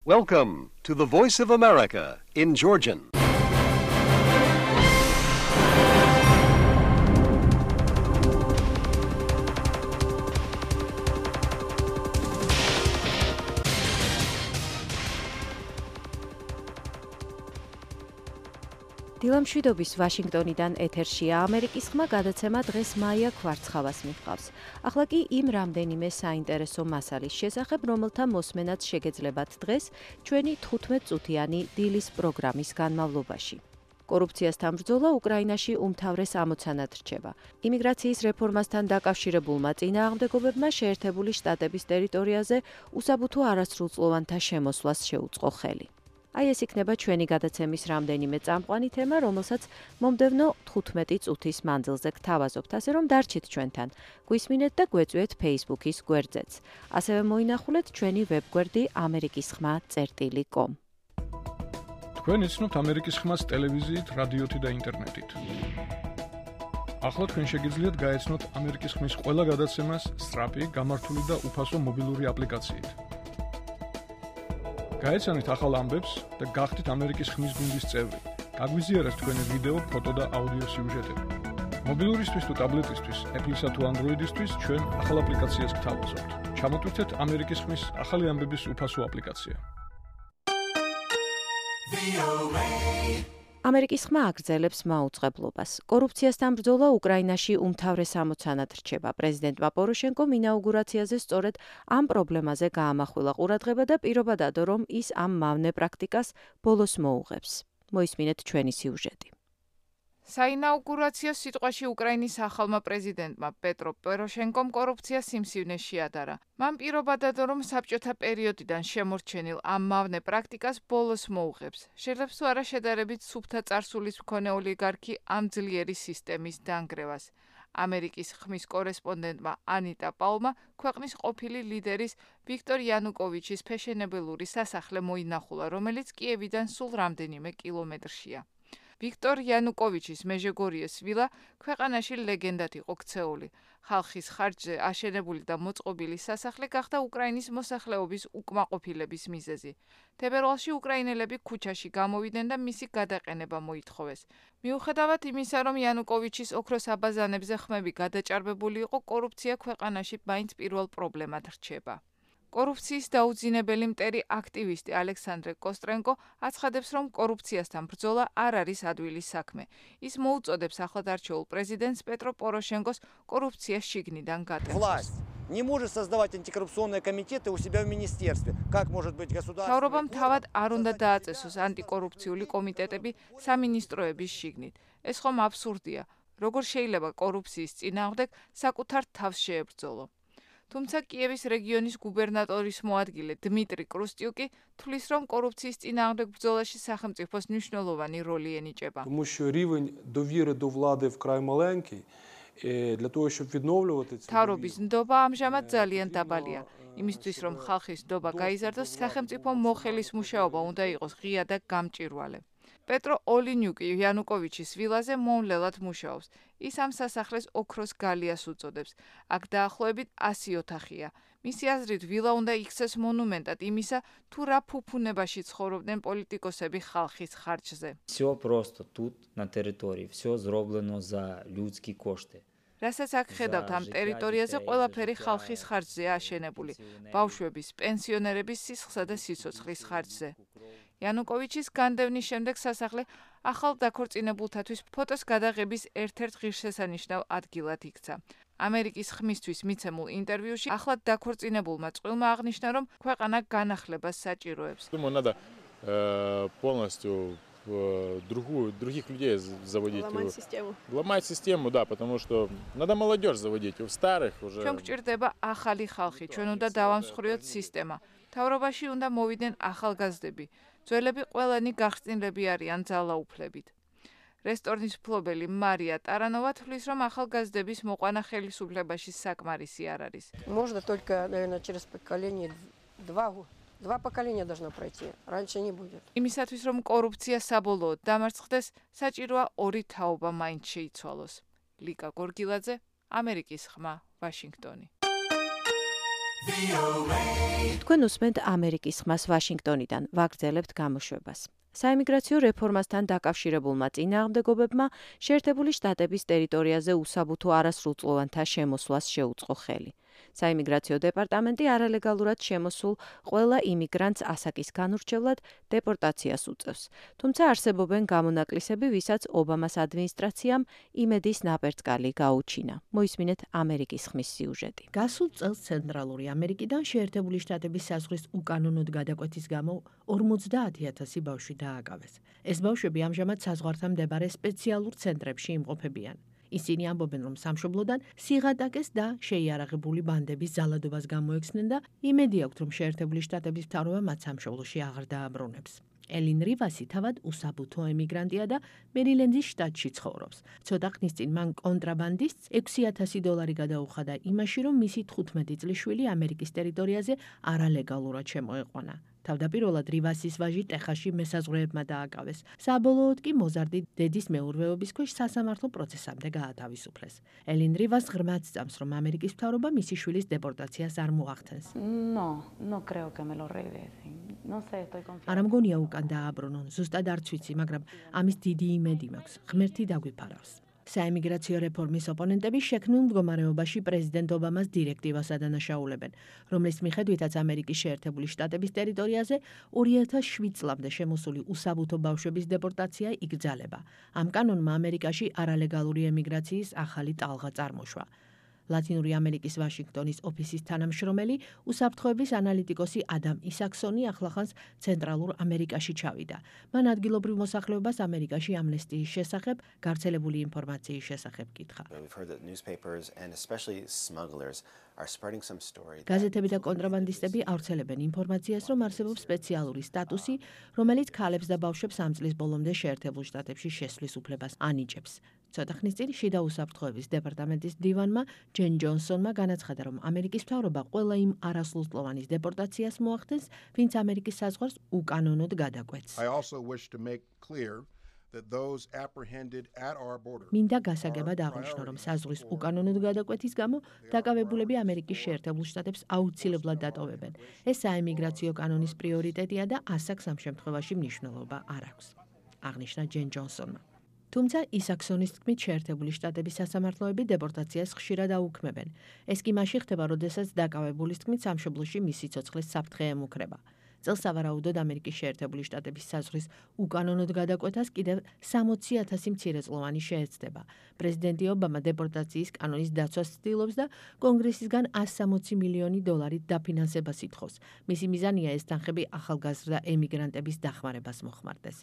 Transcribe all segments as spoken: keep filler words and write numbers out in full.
Welcome to the Voice of America in Georgian. დილამშვიდობის ვაშინგტონიდან ეთერშია ამერიკის ხმა გადაცემა დღეს მაია კვარცხავას მიჰყავს. ახლა კი იმ რამდენიმე საინტერესო მასალის შესახებ, რომელთა მოსმენაც შეგეძლებათ დღეს ჩვენი თხუთმეტ-წუთიანი დილის პროგრამის განმავლობაში. კორუფციასთან ბრძოლა უკრაინაში უმთავრეს ამოცანად რჩება. იმიგრაციის რეფორმასთან დაკავშირებულმა წინააღმდეგობებმა შეერთებული შტატების ტერიტორიაზე უსაბუთო არასრულწლოვანთა შემოსვლას შეუწყო ხელი. აი ეს იქნება ჩვენი გადაცემის რამდენიმე წამყვანი თემა, რომელსაც მომდევნო თხუთმეტი წუთის მანძილზე გთავაზობთ, ასე რომ დარჩით ჩვენთან. გვისმინეთ და გვეწვიეთ Facebook-ის გვერდზეც. ასევე მოინახულეთ ჩვენი ვებგვერდი ამერიკის ხმა წერტილი კომ. თქვენ იცნობთ ამერიკის ხმას ტელევიზიით, რადიოთი და ინტერნეტით. ახლა თქვენ შეგიძლიათ გაეცნოთ ამერიკის ხმის ყველა გადაცემას სწრაფი, გამართული და უფასო მობილური აპლიკაციით. გაეცანით ახალ ამბებს და გახდით ამერიკის ხმის გუნდის წევრი. გაგვიზიარეთ თქვენი ვიდეო, ფოტო და აუდიო სიუჟეტები. მობილურისთვის თუ ტაბლეტისთვის, Apple-ისა თუ Android-ისთვის ჩვენ ახალ აპლიკაციას გთავაზობთ. ჩამოტვირთეთ ამერიკის ხმის ახალი ამბების უფასო აპლიკაცია. ამერიკის ხმა აგრძელებს მაუწყებლობას. კორუფციასთან ბრძოლა უკრაინაში უმთავრეს ამოცანად რჩება. პრეზიდენტმა პოროშენკომ ინაუგურაციაზე სწორედ ამ პრობლემაზე გაამახვილა ყურადღება და პირობა დადო, რომ ის ამ მავნე პრაქტიკას ბოლოს მოუღებს. მოისმინეთ ჩვენი სიუჟეტი. საინაუგურაციო სიტყვაში უკრაინის ახალმა პრეზიდენტმა პეტრო პოროშენკომ კორუფცია სიმსივნეს შეადარა. მან პირობა დადო, რომ საბჭოთა პერიოდიდან შემორჩენილ ამ მავნე პრაქტიკას ბოლოს მოუღებს. შეიძლება თუ არა შედარებით სუფთა წარსულის მქონე ოლიგარქი ამ ძლიერი სისტემის დანგრევას. ამერიკის ხმის კორესპონდენტმა ანიტა პაულმა ქვეყნის ყოფილი ლიდერის ვიქტორ იანუკოვიჩის ფეშენებელური სასახლე მოინახულა, რომელიც კიევიდან სულ რამდენიმე კილომეტრშია. ვიქტორ იანუკოვიჩის მეჟეგორიეს ვილა ქვეყანაში ლეგენდად იყო ქცეული. ხალხის ხარჯზე აშენებული და მოწყობილი სასახლე გახდა უკრაინის მოსახლეობის უკმაყოფილების მიზეზი. თებერვალში უკრაინელები ქუჩაში გამოვიდნენ და მისი გადაყენება მოითხოვეს. მიუხედავად იმისა, რომ იანუკოვიჩის ოქროს აბაზანებზე ხმები გადაჭარბებული იყო, კორუფცია ქვეყანაში მაინც პირველ პრობლემად რჩება. კორუფციის დაუძინებელი მტერი აქტივისტი ალექსანდრე კოსტრენკო აცხადებს, რომ კორუფციასთან ბრძოლა არ არის ადვილი საქმე. ის მოუწოდებს ახლადარჩეულ პრეზიდენტს პეტრო პოროშენკოს კორუფციას შიგნიდან გატეხოს. Не может создавать антикоррупционные комитеты у себя в министерстве. Как может быть государственный? თავრობამ თავად არ უნდა დააწესოს ანტიკორუფციული კომიტეტები სამინისტროების შიგნით. ეს ხომ აბსურდია. როგორ შეიძლება კორუფციის წინააღმდეგ საკუთარ თავს შეებრძოლო? თუმცა კიევის რეგიონის გუბერნატორის მოადგილე დმიტრი კრუსტიუკი თვლის, რომ კორუფციის წინააღმდეგ ბრძოლაში სახელმწიფოს მნიშვნელოვანი როლი ენიჭება. Тому що рівень довіри до влади вкрай маленький. Для того, щоб відновлювати це. თავრობის ნდობა ამჟამად ძალიან დაბალია. იმისთვის, რომ ხალხის ნდობა გაიზარდოს, სახელმწიფო მოხელის მუშაობა უნდა იყოს ღია და გამჭვირვალე. პეტრო ოლინიუკი იანუკოვიჩის ვილაზე მომლელად მუშაობს. ის ამ სასახლეს ოქროს გალიას უწოდებს. აქ დაახლოებით ასი ოთახია. მისი აზრით, ვილა უნდა იქცეს მონუმენტად იმისა, თუ რა ფუფუნებაში ცხოვრობდნენ პოლიტიკოსები ხალხის ხარჯზე. Всё просто тут на территории, всё зроблено за людские кошты. რასაც აქ ხედავთ ამ ტერიტორიაზე ყველაფერი ხალხის ხარჯზეა აშენებული. ბავშვების, პენსიონერების სისხლსა და სიცოცხლის ხარჯზე. იანუკოვიჩის განდევნის შემდეგ სასახლე ახალ დაქორწინებულთათვის ფოტოს გადაღების ერთ-ერთ ღირსშესანიშნავ ადგილად იქცა. ამერიკის ხმისთვის მიცემულ ინტერვიუში ახლად დაქორწინებულმა წყვილმა აღნიშნა, რომ ქვეყანა განახლებას საჭიროებს. Думаю, надо полностью другую других людей заводить. Ломать систему. Ломать систему, да, потому что надо молодежь заводить, у старых уже. ჩვენ გვჭირდება ახალი ხალხი, ჩვენ უნდა დავამსხვრიოთ სისტემა. თავრობაში უნდა მოვიდნენ ახალგაზრდები. ძველები ყველანი გახსნილები არიან ძალაუფლებით. რესტორნის მფლობელი მარია ტარანოვა თვლის, რომ ახალგაზრდების მოყვანა ხელისუფლებაში საკმარისი არ არის. Можно только, наверное, через поколение два два поколения должно пройти. Раньше не будет. იმისათვის, რომ კორუფცია საბოლოოდ დამარცხდეს, საჭიროა ორი თაობა მაინც შეიცვალოს. ლიკა გორგილაძე, ამერიკის ხმა, ვაშინგტონი. თქვენ უსმენთ ამერიკის ხმას ვაშინგტონიდან, ვაგრძელებთ გამოშვებას. საიმიგრაციო რეფორმასთან დაკავშირებულმა წინააღმდეგობებმა შეერთებული შტატების ტერიტორიაზე უსაბუთო არასრულწლოვანთა შემოსვლას შეუწყო ხელი. საიმიგრაციო დეპარტამენტი არალეგალურად შემოსულ ყველა იმიგრანტს ასაკის განურჩევლად დეპორტაციას უწევს. თუმცა არსებობენ გამონაკლისები, ვისაც ობამას ადმინისტრაციამ იმედის ნაპერწკალი გაუჩინა. მოისმინეთ ამერიკის ხმის სიუჟეტი. გასულ წელს ცენტრალური ამერიკიდან შეერთებული შტატების საზღვრის უკანონოდ გადაკვეთის გამო ორმოცდაათი ათასი ბავშვი დააკავეს. ეს ბავშვები ამჟამად საზღვართან მდებარე სპეციალურ ცენტრებში იმყოფებიან. ისინი ამბობენ, რომ სამშობლოდან სიღატაკეს და შეიარაღებული ბანდების ზალადობას გამოექცნენ და იმედი აქვთ, რომ შეერთებული შტატების მთავრობა მათ სამშობლოში აღარ დააბრუნებს. ელინ რივასი თავად უსაბუთო ემიგრანტია და მერილენდის შტატში ცხოვრობს. ცოტა ხნის წინ მან კონტრაბანდისტს ექვსი ათასი დოლარი გადაუხადა იმაში, რომ მისი თხუთმეტი წლის შვილი ამერიკის ტერიტორიაზე არალეგალურად შემოეყვანა. თავდაპირველად რივასის ვაჟი ტეხასში მესაზღვრეებმა დააკავეს. საბოლოოდ კი მოზარდი დედის მეურვეობის ქვეშ სასამართლო პროცესამდე გაათავისუფლეს. ელინ რივას ღრმად სწამს, რომ ამერიკის მთავრობა მისი შვილის დეპორტაციას არ მოახდენს. არ მგონია უკან დააბრუნონ, ზუსტად არც ვიცი, მაგრამ ამის დიდი იმედი მაქვს. ღმერთი დაგვიფარავს. საიმიგრაციო რეფორმის ოპონენტები შექმნილ მდგომარეობაში პრეზიდენტ ობამას დირექტივას ადანაშაულებენ, რომლის მიხედვითაც ამერიკის შეერთებული შტატების ტერიტორიაზე ორი ათას შვიდ წლამდე შემოსული უსაბუთო ბავშვების დეპორტაცია იკრძალება. ამ კანონმა ამერიკაში არალეგალური ემიგრაციის ახალი ტალღა წარმოშვა. ლათინური ამერიკის ვაშინგტონის ოფისის თანამშრომელი, უსაფრთხოების ანალიტიკოსი ადამ ისაქსონი ახლახანს ცენტრალურ ამერიკაში ჩავიდა. მან ადგილობრივ მოსახლეობას ამერიკაში ამნესტიის შესახებ, გავრცელებული ინფორმაციის შესახებ კითხა. გაზეთები და კონტრაბანდისტები ავრცელებენ ინფორმაციას, რომ არსებობს სპეციალური სტატუსი, რომელიც ქალებს და ბავშვებს ამ წლის ბოლომდე შეერთებულ შტატებში შესვლის უფლებას ანიჭებს. ცოტა ხნის წინ შიდა უსაფრთხოების დეპარტამენტის მდივანმა ჯენ ჯონსონმა განაცხადა, რომ ამერიკის მთავრობა ყველა იმ არასრულწლოვანის დეპორტაციას მოახდენს, ვინც ამერიკის საზღვარს უკანონოდ გადაკვეთს. მინდა გასაგებად აღვნიშნო, რომ საზღვრის უკანონოდ გადაკვეთის გამო დაკავებულები ამერიკის შეერთებულ შტატებს აუცილებლად დატოვებენ. ეს საემიგრაციო კანონის პრიორიტეტია და ასაკს ამ შემთხვევაში მნიშვნელობა არ აქვს, აღნიშნა ჯენ ჯონსონმა. თუმცა ისაქსონის თქმით შეერთებული შტატების სასამართლოები დეპორტაციას ხშირად აუქმებენ. ეს კი მაშინ ხდება, როდესაც დაკავებულის თქმით სამშობლოში მისი ცოცხლის საფრთხე ემუქრება. წელს სავარაუდოდ ამერიკის შეერთებული შტატების საზღვრის უკანონოდ გადაკვეთას კიდევ სამოცი ათასი მცირეწლოვანი შეეცდება. პრეზიდენტი ობამა დეპორტაციის კანონის დაცვას ცდილობს და კონგრესისგან ასი სამოცი მილიონი დოლარით დაფინანსებას ითხოვს. მისი მიზანია ეს თანხები ახალგაზრდა ემიგრანტების დახმარებას მოხმარდეს.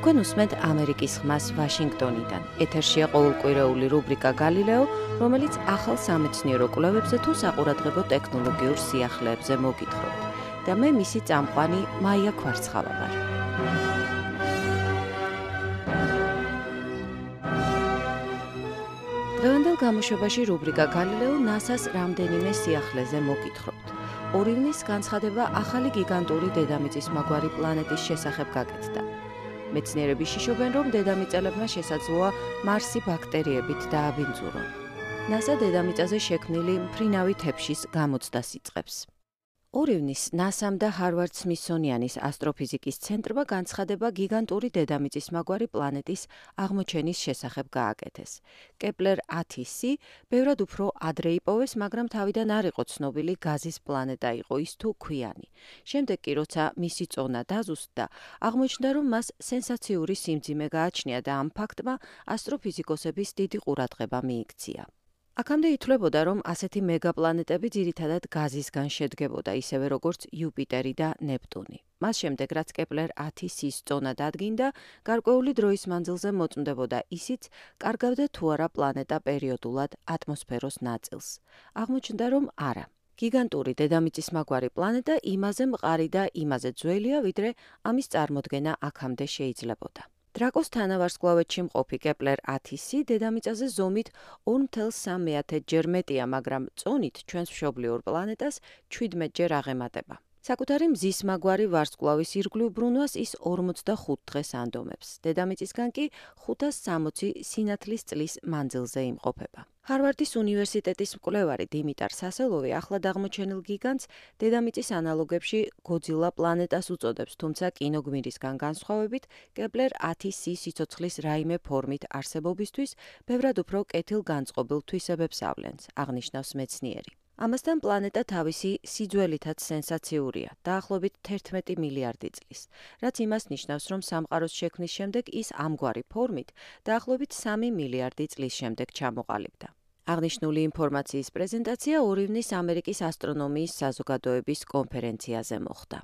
თქვენ უსმენთ ამერიკის ხმას ვაშინგტონიდან. ეთერშია ყოველკვირეული რუბრიკა გალილეო, რომელიც ახალ სამეცნიერო კვლევებზე თუ საყურადღებო ტექნოლოგიურ სიახლეებზე მოგითხრობთ. და მე მისი წამყვანი მაია ქვარცხავა ვარ. დღევანდელ გამოშვებაში რუბრიკა გალილეო ნასას რამდენიმე სიახლეზე მოგითხრობთ. ორი ივნის განცხადება ახალი გიგანტური დედამიწის მაგვარი პლანეტის შესახებ გაკეთდა. მეცნიერები შიშობენ, რომ დედამიწელებმა შესაძლოა მარსი ბაქტერიებით დააბინძურონ. ნასა დედამიწაზე შექმნილი მფრინავი თეფშის გამოცდას იწყებს. ორი ივნის ნასამ და ჰარვარდ სმითსონიანის ასტროფიზიკის ცენტრმა განცხადება გიგანტური დედამიწის მაგვარი პლანეტის აღმოჩენის შესახებ გააკეთეს. კეპლერ ათი სი ბევრად უფრო ადრე იპოვეს, მაგრამ თავიდან არ იყო ცნობილი გაზის პლანეტა იყო ის თუ ქვიანი. შემდეგ კი როცა მისი წონა დაზუსტდა, აღმოჩნდა, რომ მას სენსაციური სიმძიმე გააჩნია და ამ ფაქტმა ასტროფიზიკოსების დიდი ყურადღება მიიქცია. აქამდე ითვლებოდა, რომ ასეთი მეგაპლანეტები ძირითადად გაზისგან შედგებოდა, ისევე როგორც იუპიტერი და ნეპტუნი. მას შემდეგ, რაც კეპლერ ათი სის წონა დადგინდა, გარკვეული დროის მანძილზე მოწმდებოდა ისიც, კარგავდა თუ არა პლანეტა პერიოდულად ატმოსფეროს ნაწილს. აღმოჩნდა, რომ არა. გიგანტური დედამიწის მაგვარი პლანეტა იმაზე მყარი და იმაზე ძველია, ვიდრე ამის წარმოდგენა აქამდე შეიძლებოდა. დრაკოს თანავარსკვლავედში მყოფი კეპლერ ათი სი დედამიწაზე ზომით ორ ათას სამი ჯერ მეტია, მაგრამ წონით ჩვენს მშობლიურ პლანეტას შვიდმეტ ჯერ აღემატება. საკუთარი მზის მაგვარი ვარსკვლავის ირგვლივ ბრუნვას ის ორმოცდახუთ დღეს ანდომებს. დედამიწისგან კი ხუთას სამოცი სინათლის წლის მანძილზე იმყოფება. ჰარვარდის უნივერსიტეტის მკვლევარი დიმიტარ სასელოვი ახლად აღმოჩენილ გიგანტს დედამიწის ანალოგებში გოძილა პლანეტას უწოდებს, თუმცა კინოგმირისგან განსხვავებით, კეპლერ ათი სი სიცოცხლის რაიმე ფორმით არსებობისთვის ბევრად უფრო კეთილგანწყობილ თვისებებს ავლენს, აღნიშნავს მეცნიერი. ამასთან პლანეტა თავისი სიძველითაც სენსაციურია, დაახლოებით თერთმეტი მილიარდი წლის, რაც იმას ნიშნავს, რომ სამყაროს შექმნის შემდეგ ის ამგვარი ფორმით დაახლოებით სამი მილიარდი წლის შემდეგ ჩამოყალიბდა. აღნიშნული ინფორმაციის პრეზენტაცია ორი ივნის ამერიკის ასტრონომიის საზოგადოების კონფერენციაზე მოხდა.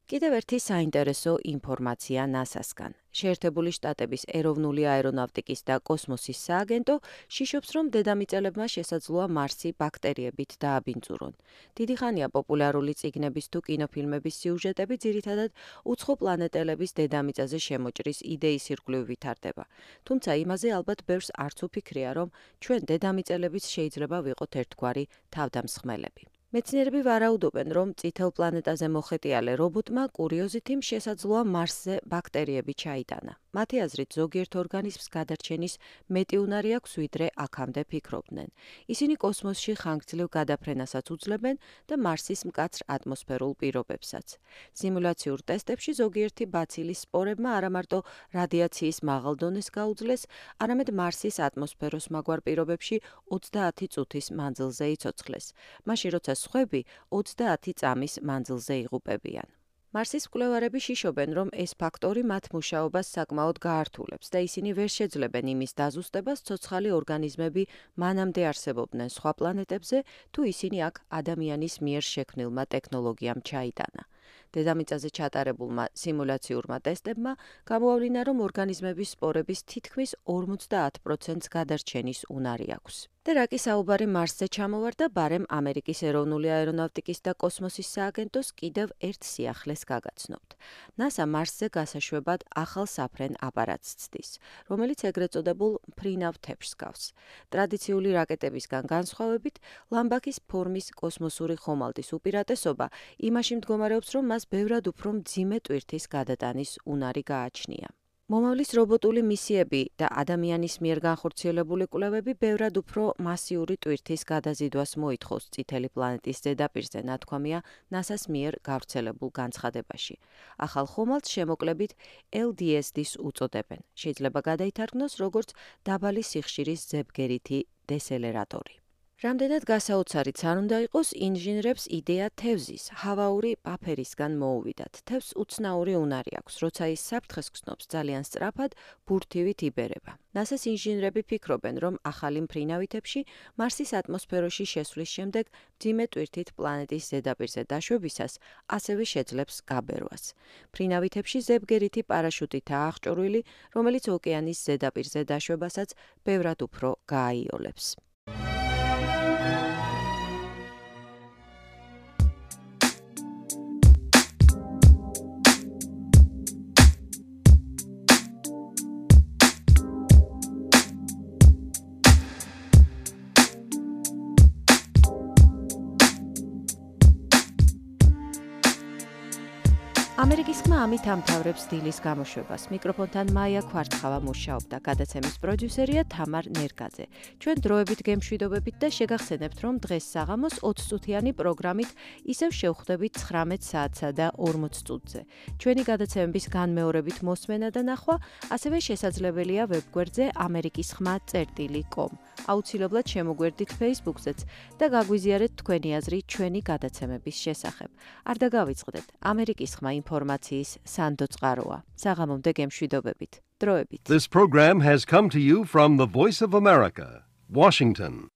კიდევ ერთი საინტერესო ინფორმაცია ნასასგან. შეერთებული შტატების ეროვნული აერონავტიკის და კოსმოსის სააგენტო შიშობს, რომ დედამიწელებმა შესაძლოა მარსი ბაქტერიებით დააბინძურონ. დიდი ხანია პოპულარული წიგნების თუ კინოფილმების სიუჟეტები ძირითადად უცხო პლანეტელების დედამიწაზე შემოჭრის იდეის ირგვლივ ვითარდება. თუმცა იმაზე ალბათ ბევრს არც უფიქრია, რომ ჩვენ დედამიწელებიც შეიძლება ვიყოთ ერთგვარი თავდამსხმელები. მეცნიერები ვარაუდობენ, რომ წითელ პლანეტაზე მოხეტიალე რობოტმა კურიოზითიმ შესაძლოა მარსზე ბაქტერიები ჩაიტანა. მათი აზრით ზოგიერთ ორგანიზმს გადარჩენის მეტი უნარი აქვს, ვიდრე აქამდე ფიქრობდნენ. ისინი კოსმოსში ხანგრძლივ გადაფრენასაც უძლებენ და მარსის მკაცრ ატმოსფერულ პირობებსაც. სიმულაციურ ტესტებში ზოგიერთი ბაცილის სპორებმა არამარტო რადიაციის მაღალ დონეს გაუძლეს, არამედ მარსის ატმოსფეროს მაგვარ პირობებში ოცდაათი წუთის მანძილზე იცოცხლეს. მაშინ როცა სხვები ოცდაათი წამის მანძილზე იღუპებიან. მარსის მკვლევარები შიშობენ, რომ ეს ფაქტორი მათ მუშაობას საკმაოდ გაართულებს და ისინი ვერ შეძლებენ იმის დაზუსტებას, ცოცხალი ორგანიზმები მანამდე არსებობდნენ სხვა პლანეტებზე, თუ ისინი აქ ადამიანის მიერ შექმნილმა ტექნოლოგიამ ჩაიტანა. დედამიწაზე ჩატარებულმა სიმულაციურმა ტესტებმა გამოავლინა, რომ ორგანიზმების სპორების თითქმის ორმოცდაათ პროცენტს გადარჩენის უნარი აქვს. და რაკი საუბარი მარსზე ჩამოვარდა, ბარემ ამერიკის ეროვნული აერონავტიკის და კოსმოსის სააგენტოს კიდევ ერთ სიახლეს გაგაცნობთ. ნასა მარსზე გასაშვებად ახალ საფრენ აპარატს ცდის, რომელიც ეგრეთ წოდებულ მფრინავ თეფშს გავს. ტრადიციული რაკეტებისგან განსხვავებით, ლამბაქის ფორმის კოსმოსური ხომალდის უპირატესობა იმაში მდგომარეობს, რომ მას ბევრად უფრო მძიმე ტვირთის გადატანის უნარი გააჩნია. მომავლის რობოტული მისიები და ადამიანის მიერ განხორციელებული კვლევები ბევრად უფრო მასიური ტვირთის გადაზიდვას მოითხოვს წითელი პლანეტის ზედაპირზე, ნათქვამია ნასას მიერ გავრცელებულ განცხადებაში. ახალ ხომალდს შემოკლებით ელ დი ეს-ს უწოდებენ. შეიძლება გადაითარგმნოს როგორც დაბალი სიხშირის ზებგერითი დესელერატორი. რამდენად გასაოცარიც არ უნდა იყოს, ინჟინრებს იდეა თევზის, ჰავაური პაფერისგან მოუვიდათ. თევზს უცნაური უნარი აქვს, როცა ის საფრთხეს გრძნობს, ძალიან სწრაფად ბურთივით იბერება. ნასას ინჟინრები ფიქრობენ, რომ ახალი მფრინავი თეფში მარსის ატმოსფეროში შესვლის შემდეგ მძიმე ტვირთით პლანეტის ზედაპირზე დაშვებისას ასევე შეძლებს გაბერვას. მფრინავი თეფში ზებგერითი პარაშუტითაა აღჭურვილი, რომელიც ოკეანის ზედაპირზე დაშვებასაც ბევრად უფრო გააიოლებს. ამერიკის ხმა ამით ამთავრებს დილის გამოშვებას. მიკროფონთან მაია ქვარცხავა მუშაობდა, გადაცემის პროდიუსერია თამარ ნერგაძე. ჩვენ დროებით გემშვიდობებით და შეგახსენებთ, რომ დღეს საღამოს ოცწუთიანი პროგრამით ისევ შევხვდებით ცხრამეტ საათსა და ორმოც წუთზე. ჩვენი გადაცემების განმეორებით მოსმენა და ნახვა ასევე შესაძლებელია ვებგვერდზე ამერიკის ხმა წერტილი კომ. აუცილებლად შემოგვერდით Facebook-ზეც და გაგვიზიარეთ თქვენი აზრი ჩვენი გადაცემების შესახებ. არ დაგავიწყდეთ, ამერიკის ხმა ინფორმაციის სანდო წყაროა. საღამომდე გემშვიდობებით. დროებით. This program has come to you from the Voice of America, Washington.